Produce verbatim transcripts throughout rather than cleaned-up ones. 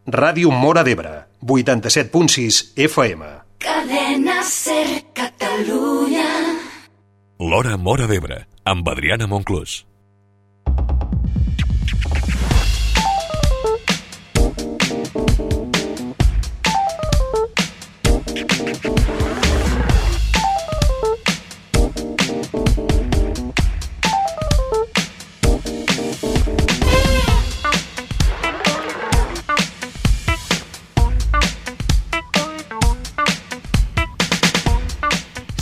Ràdio Móra d'Ebre, vuitanta-set punt sis F M. Cadena Ser Catalunya. L'Hora Móra d'Ebre, amb Adriana Monclús.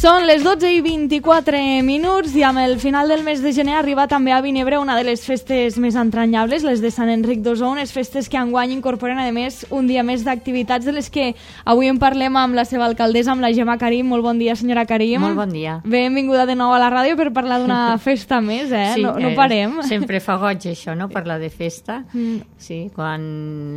Són les dotze i vint-i-quatre minuts i amb el final del mes de gener arriba també a Vinebre una de les festes més entranyables, les de Sant Enric d'Ossó, unes festes que enguany incorporen a més un dia més d'activitats de les que avui en parlem amb la seva alcaldessa, amb la Gemma Karim. Molt bon dia, senyora Karim. Molt bon dia. Benvinguda de nou a la ràdio per parlar d'una festa més, eh? Sí, no, no parem. Eh, sempre fa goig això, no?, parlar de festa. Mm. Sí, quan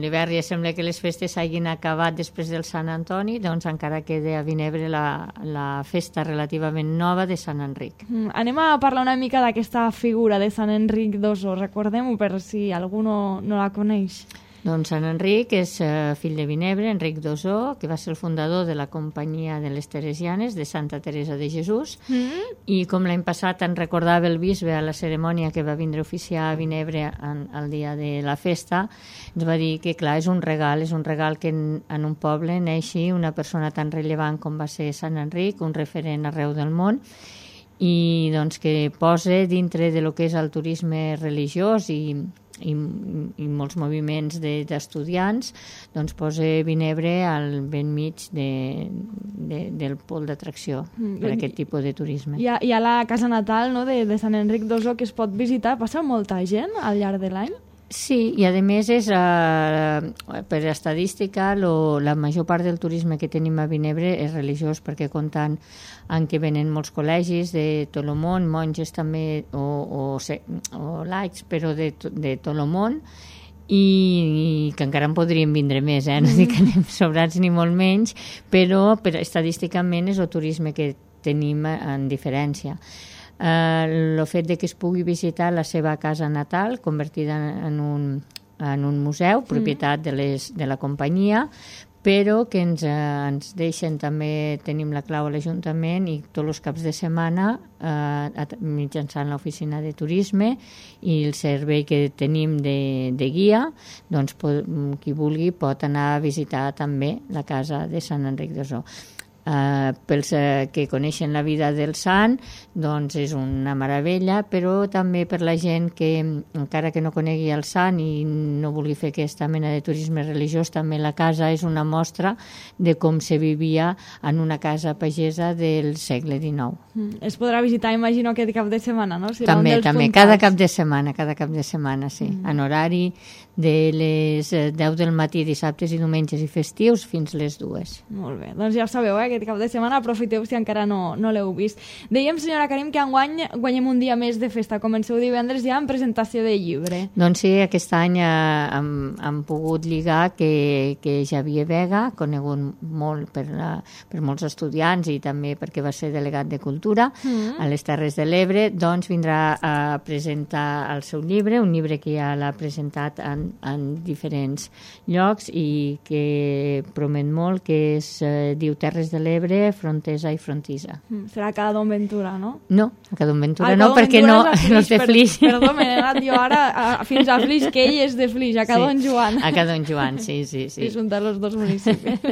l'hivern ja sembla que les festes hagin acabat després del Sant Antoni, doncs encara queda a Vinebre la, la festa relativament nova de Sant Enric. Mm, anem a parlar una mica d'aquesta figura de Sant Enric d'Ossó. Recordem-ho per si algú no, no la coneix. Doncs Sant Enric és eh, fill de Vinebre, Enric d'Ossó, que va ser el fundador de la Companyia de les Teresianes de Santa Teresa de Jesús, mm. i com l'any passat en recordava el bisbe a la cerimònia que va vindre a oficiar a Vinebre en, el dia de la festa, ens va dir que, clar, és un regal, és un regal que en, en un poble neixi una persona tan rellevant com va ser Sant Enric, un referent arreu del món, i doncs que posa dintre de lo que és el turisme religiós i i, i molts moviments d'estudiants, doncs posa Vinebre al ben mig de, de, del pol d'atracció mm, per aquest tipus de turisme. Hi ha, hi ha la casa natal, no?, de, de Sant Enric d'Ossó que es pot visitar. Passa molta gent al llarg de l'any? Sí, i a més és, uh, per estadística, lo, la major part del turisme que tenim a Vinebre és religiós, perquè comptant en què venen molts col·legis de tot el món, monges també, o, o, o laics, però de, de tot el món, i, i que encara en podríem vindre més, eh? No dic que anem sobrats ni molt menys, però per, estadísticament és el turisme que tenim en diferència. El uh, fet de que es pugui visitar la seva casa natal, convertida en un, en un museu, propietat de, les, de la companyia, però que ens, uh, ens deixen també, tenim la clau a l'Ajuntament i tots els caps de setmana uh, mitjançant l'oficina de turisme i el servei que tenim de, de guia, doncs pot, qui vulgui pot anar a visitar també la casa de Sant Enric d'Ossó. Uh, pels uh, que coneixen la vida del sant, doncs és una meravella, però també per la gent que encara que no conegui el sant i no vulgui fer aquesta mena de turisme religiós, també la casa és una mostra de com se vivia en una casa pagesa del segle dinou. Mm. Es podrà visitar, imagino, aquest cap de setmana, no? Serà també, un dels també, puntals. cada cap de setmana, cada cap de setmana, sí, mm. en horari de les deu del matí, dissabtes i diumenges i festius, fins les dues. Molt bé, doncs ja ho sabeu, eh? Aquest cap de setmana aprofiteu si encara no, no l'heu vist. Dèiem, senyora Karim, que enguany guanyem un dia més de festa. Comenceu divendres ja amb presentació de llibre. Doncs sí, aquest any eh, hem, hem pogut lligar que, que Xavier Vega, conegut molt per, la, per molts estudiants i també perquè va ser delegat de Cultura mm. a les Terres de l'Ebre, doncs vindrà a presentar el seu llibre, un llibre que ja l'ha presentat en, en diferents llocs i que promet molt, que es eh, diu Terres de l'Ebre, Frontesa i Frontisa. Mm, serà a Ca d'Onventura, no? No, a Ca d'Onventura ah, no, perquè no, no és de Flix. Per, perdó, m'he anat jo ara a, fins a Flix, que ell és de Flix, a Ca Don sí, Joan. a Ca Don Joan, sí, sí. sí. I juntar els dos municipis.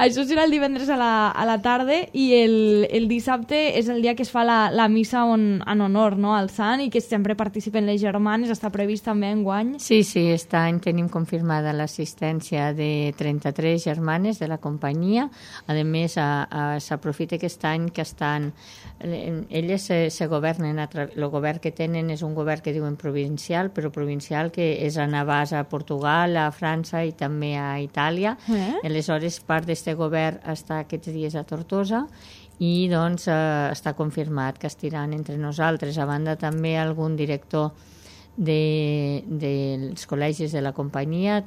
Això serà el divendres a la, a la tarda i el, el dissabte és el dia que es fa la, la missa on, en honor, no?, al sant, i que sempre participen les germanes. Està previst també enguany. Sí, sí, aquest any tenim confirmada l'assistència de trenta-tres germanes de la companyia. A més, s'aprofita aquest any que estan elles se, se governen a tra... el govern que tenen és un govern que diuen provincial, però provincial que és en abast a Portugal, a França i també a Itàlia. Eh? Aleshores, part d'aquest govern està aquests dies a Tortosa i doncs eh, està confirmat que estiran entre nosaltres. A banda també algun director de, dels col·legis de la companyia,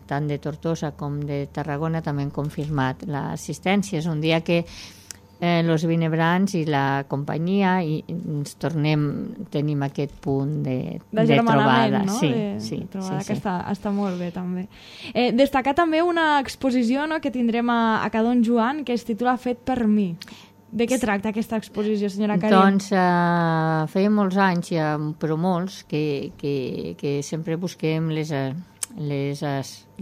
tant de Tortosa com de Tarragona, també han confirmat l'assistència. És un dia que eh, los vinebrants i la companyia, i ens tornem, tenim aquest punt de, de, de trobada. No? Sí, de, sí, de trobada, sí, que sí. està, està molt bé, també. Eh, destacar també una exposició, no?, que tindrem a, a Cadon Joan, que es titula Fet per mi. De què tracta aquesta exposició, senyora Karim? Doncs eh, feia molts anys, ja, però molts, que, que, que sempre busquem les, les,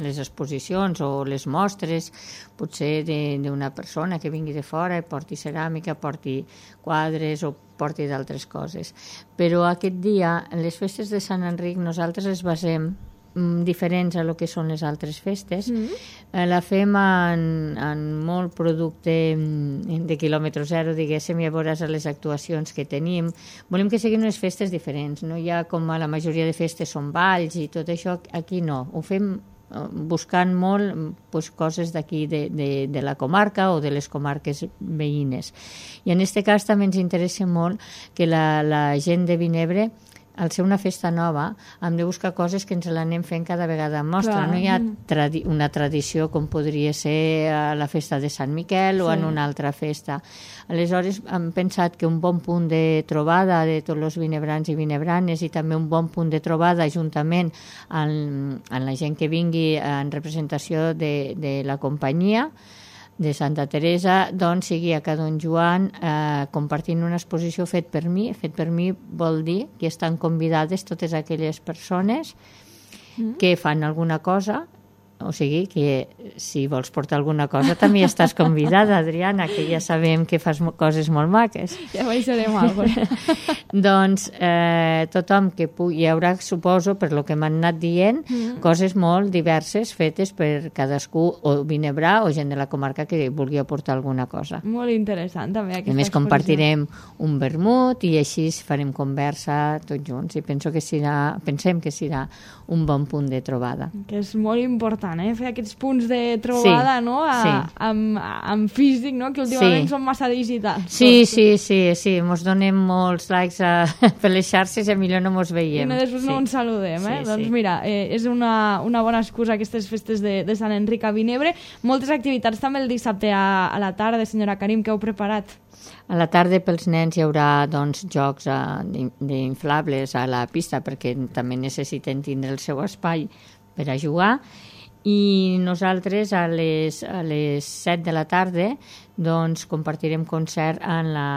les exposicions o les mostres, potser d'una persona que vingui de fora i porti ceràmica, porti quadres o porti d'altres coses. Però aquest dia, les festes de Sant Enric, nosaltres les basem diferents a lo que són les altres festes. Mm. Eh, la fem en, en molt producte de quilòmetre zero, diguéssim, i a veure les actuacions que tenim. Volem que siguin unes festes diferents. No hi ha, com a la majoria de festes, són balls i tot això. Aquí no. Ho fem buscant molt pues, coses d'aquí de, de, de la comarca o de les comarques veïnes. I en aquest cas també ens interessa molt que la, la gent de Vinebre, al ser una festa nova, hem de buscar coses que ens l'anem fent cada vegada en mostra. Clar. No hi ha tradi una tradició com podria ser a la festa de Sant Miquel, sí, o en una altra festa. Aleshores, hem pensat que un bon punt de trobada de tots els vinebrans i vinebranes i també un bon punt de trobada juntament amb, amb la gent que vingui en representació de, de la companyia de Santa Teresa, doncs sigui a Cadon Joan eh, compartint una exposició fet per mi. Fet per mi vol dir que estan convidades totes aquelles persones mm. que fan alguna cosa, o sigui que si vols portar alguna cosa també estàs convidada, Adriana, que ja sabem que fas coses molt maques. Ja baixarem alguna cosa. Doncs eh, tothom que pugui, hi haurà, suposo, per lo que m'han anat dient, mm. coses molt diverses fetes per cadascú, o vinebrà o gent de la comarca que vulgui aportar alguna cosa. Molt interessant també aquesta exposició. A més, compartirem un vermut i així farem conversa tots junts i penso que serà, pensem que serà un bon punt de trobada. Que és molt important, eh? Fer aquests punts de trobada, sí, no? A, sí. amb, amb físic, no? Que últimament sí. són massa digitals. Sí, sí, sí, sí, mos donem molts likes a, per les xarxes i millor no mos veiem. I no, després sí. no ens saludem, eh? Sí, doncs sí. mira, eh, és una, una bona excusa aquestes festes de, de Sant Enric a Vinebre. Moltes activitats també el dissabte a, a la tarda, senyora Karim, que heu preparat? A la tarda pels nens hi haurà doncs, jocs uh, d'inflables a la pista perquè també necessiten tindre el seu espai per a jugar, i nosaltres a les, a les set de la tarda doncs, compartirem concert en la,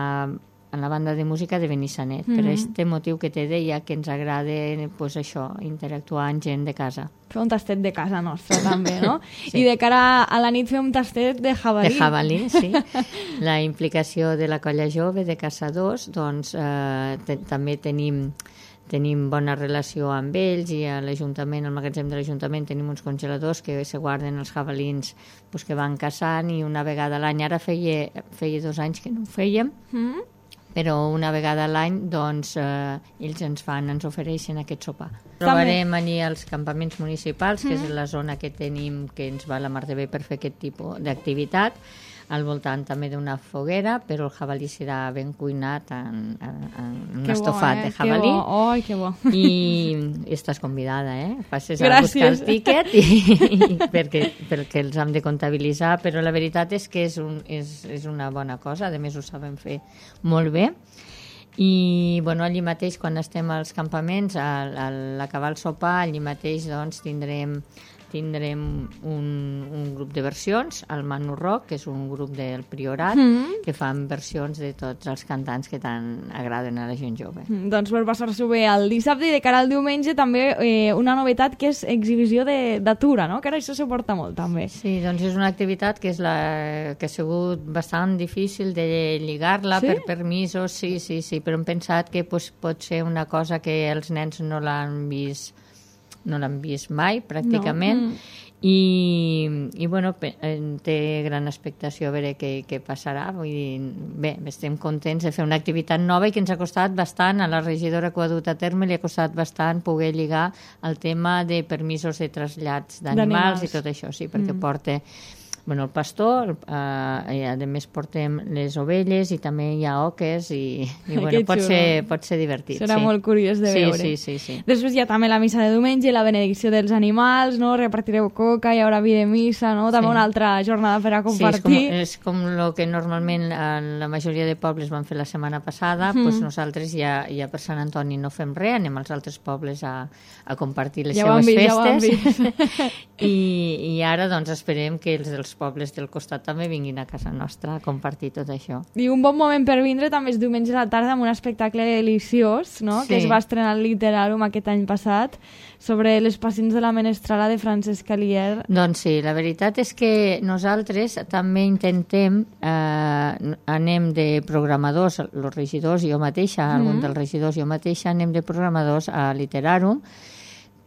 en la banda de música de Benissanet, mm-hmm. per aquest motiu que te deia que ens agrada pues, això, interactuar amb gent de casa. Fer un tastet de casa nostra també, no? Sí. I de cara a la nit fer un tastet de jabalí. De jabalí, sí. La implicació de la colla jove de caçadors, doncs eh, te, també tenim, tenim bona relació amb ells i a l'Ajuntament, al magatzem de l'Ajuntament, tenim uns congeladors que se guarden els jabalins pues, que van caçant, i una vegada a l'any, ara feia, feia dos anys que no ho fèiem, mm. però una vegada a l'any doncs, eh, ells ens fan, ens ofereixen aquest sopar. Trobarem allí als campaments municipals, que mm. és la zona que tenim, que ens va la mar de bé per fer aquest tipus d'activitat, al voltant també d'una foguera, però el jabalí serà ben cuinat en, en, en un que estofat bo, eh? de jabalí. Que bo. Oh, que bo. I estàs convidada, eh? Passes Gràcies. a buscar el tíquet i, i perquè, perquè els hem de comptabilitzar, però la veritat és que és, un, és, és una bona cosa, a més ho sabem fer molt bé. I bueno, allí mateix, quan estem als campaments, a, a l'acabar el sopar, allí mateix doncs, tindrem tindrem un, un grup de versions, el Manu Rock, que és un grup del Priorat, mm. que fan versions de tots els cantants que tant agraden a la gent jove. Mm, doncs per passar-s'ho bé el dissabte, i de cara al diumenge també eh, una novetat que és exhibició d'atura, no? Que ara això se porta molt també. Sí, doncs és una activitat que, és la, que ha sigut bastant difícil de lligar-la sí? per permisos, sí, sí, sí, però hem pensat que pues, pot ser una cosa que els nens no l'han vist no l'han vist mai, pràcticament, no. mm. i, i bueno, té gran expectació a veure què, què passarà. Vull dir, bé, estem contents de fer una activitat nova i que ens ha costat bastant, a la regidora que ho ha dut a terme li ha costat bastant poder lligar el tema de permisos de trasllats d'animals i tot això, sí, perquè mm. porta bueno, el pastor, eh, i a més portem les ovelles i també hi ha oques i, i bueno, pot ser, pot ser divertit. Serà sí. molt curiós de sí, veure. Sí, sí, sí. Després hi ha també la missa de diumenge, la benedicció dels animals, no? Repartireu coca, hi haurà vi de missa, no? També sí. Una altra jornada per a compartir. Sí, és com, és com el que normalment en la majoria de pobles van fer la setmana passada, mm. doncs nosaltres ja, ja per Sant Antoni no fem res, anem als altres pobles a, a compartir les ja seues vist, festes. Ja I, I ara doncs esperem que els dels pobles del costat també vinguin a casa nostra a compartir tot això. I un bon moment per vindre també és diumenge a la tarda amb un espectacle deliciós, no? Sí. Que es va estrenar al Literàrum aquest any passat, sobre les pacients de la menestrala de Francesc Calier. Doncs sí, la veritat és que nosaltres també intentem, eh, anem de programadors, els regidors, jo mateixa, mm-hmm. algun dels regidors, jo mateixa, anem de programadors a Literàrum,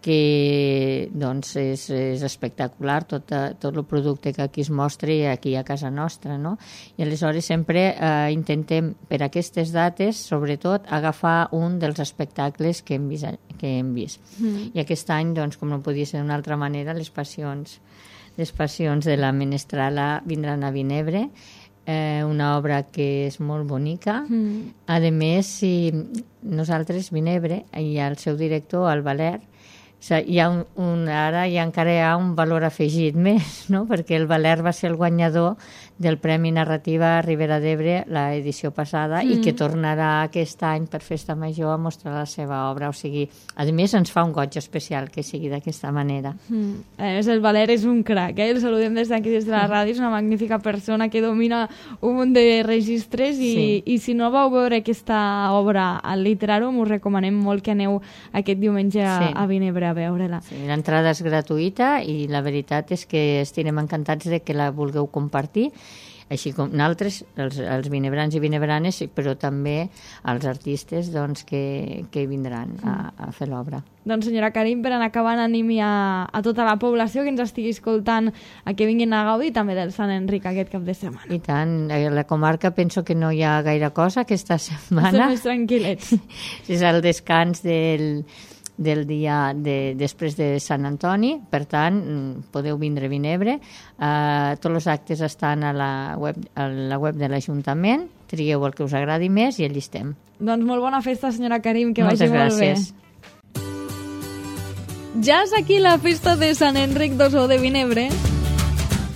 que doncs és, és espectacular tot, tot el producte que aquí es mostra aquí a casa nostra, no? I aleshores sempre eh, intentem per aquestes dates, sobretot, agafar un dels espectacles que hem vist. Que hem vist. Mm. I aquest any, doncs, com no podia ser d'una altra manera, les passions, les passions de la menestrala vindran a Vinebre, eh, una obra que és molt bonica. Mm. A més, si nosaltres, Vinebre, i el seu director, el Valer, hi ha un, un, ara ja encara hi ha un valor afegit més, no? Perquè el Valer va ser el guanyador del Premi Narrativa Ribera d'Ebre l'edició passada mm. i que tornarà aquest any per Festa Major a mostrar la seva obra. O sigui, a més ens fa un goig especial que sigui d'aquesta manera. Mm. A més, el Valer és un crac, eh? El saludem des d'aquí, des de la ràdio, és una magnífica persona que domina un munt de registres i, sí. i si no vau veure aquesta obra al Literàrum, us recomanem molt que aneu aquest diumenge a, sí. a Vinebre a veure-la. Sí, l'entrada és gratuïta i la veritat és que estarem encantats de que la vulgueu compartir, així com nosaltres, els, els vinebrans i vinebranes, però també els artistes doncs, que, que vindran a, a fer l'obra. Doncs senyora Karim, per anar acabant, animi a, a tota la població que ens estigui escoltant a que vinguin a gaudir també del Sant Enric aquest cap de setmana. I tant, a la comarca penso que no hi ha gaire cosa aquesta setmana. Estem més tranquil·lets. És el descans del... del dia de, després de Sant Antoni, per tant podeu vindre a Vinebre, uh, tots els actes estan a la web, a la web de l'Ajuntament, trieu el que us agradi més i allí estem. Doncs molt bona festa, senyora Karim, que Moltes vagi molt gràcies. Bé. Ja és aquí la festa de Sant Enric d'Ossó de Vinebre.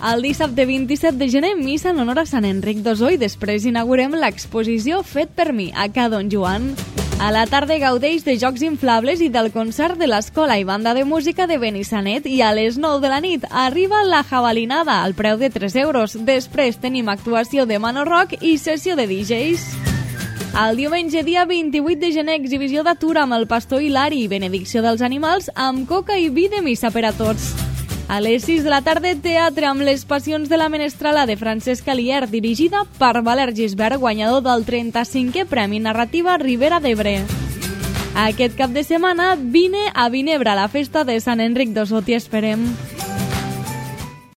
El dissabte vint-i-set de gener, missa en honor a Sant Enric d'Ossó i després inaugurem l'exposició Fet per mi, a Ca Don Joan. A la tarda gaudeix de jocs inflables i del concert de l'Escola i Banda de Música de Benissanet i a les nou de la nit arriba la jabalinada al preu de tres euros. Després tenim actuació de Mano Rock i sessió de D Js. El diumenge, dia vint-i-vuit de gener, exhibició d'atur amb el pastor Hilari i benedicció dels animals amb coca i vi de missa per a tots. A les sis de la tarda, teatre amb les passions de la menestrala de Francesc Calier, dirigida per Valer Gisbert, guanyador del trenta-cinquè Premi Narrativa Ribera d'Ebre. Aquest cap de setmana, vine a Vinebre, a la festa de Sant Enric d'Ossó, t'hi esperem.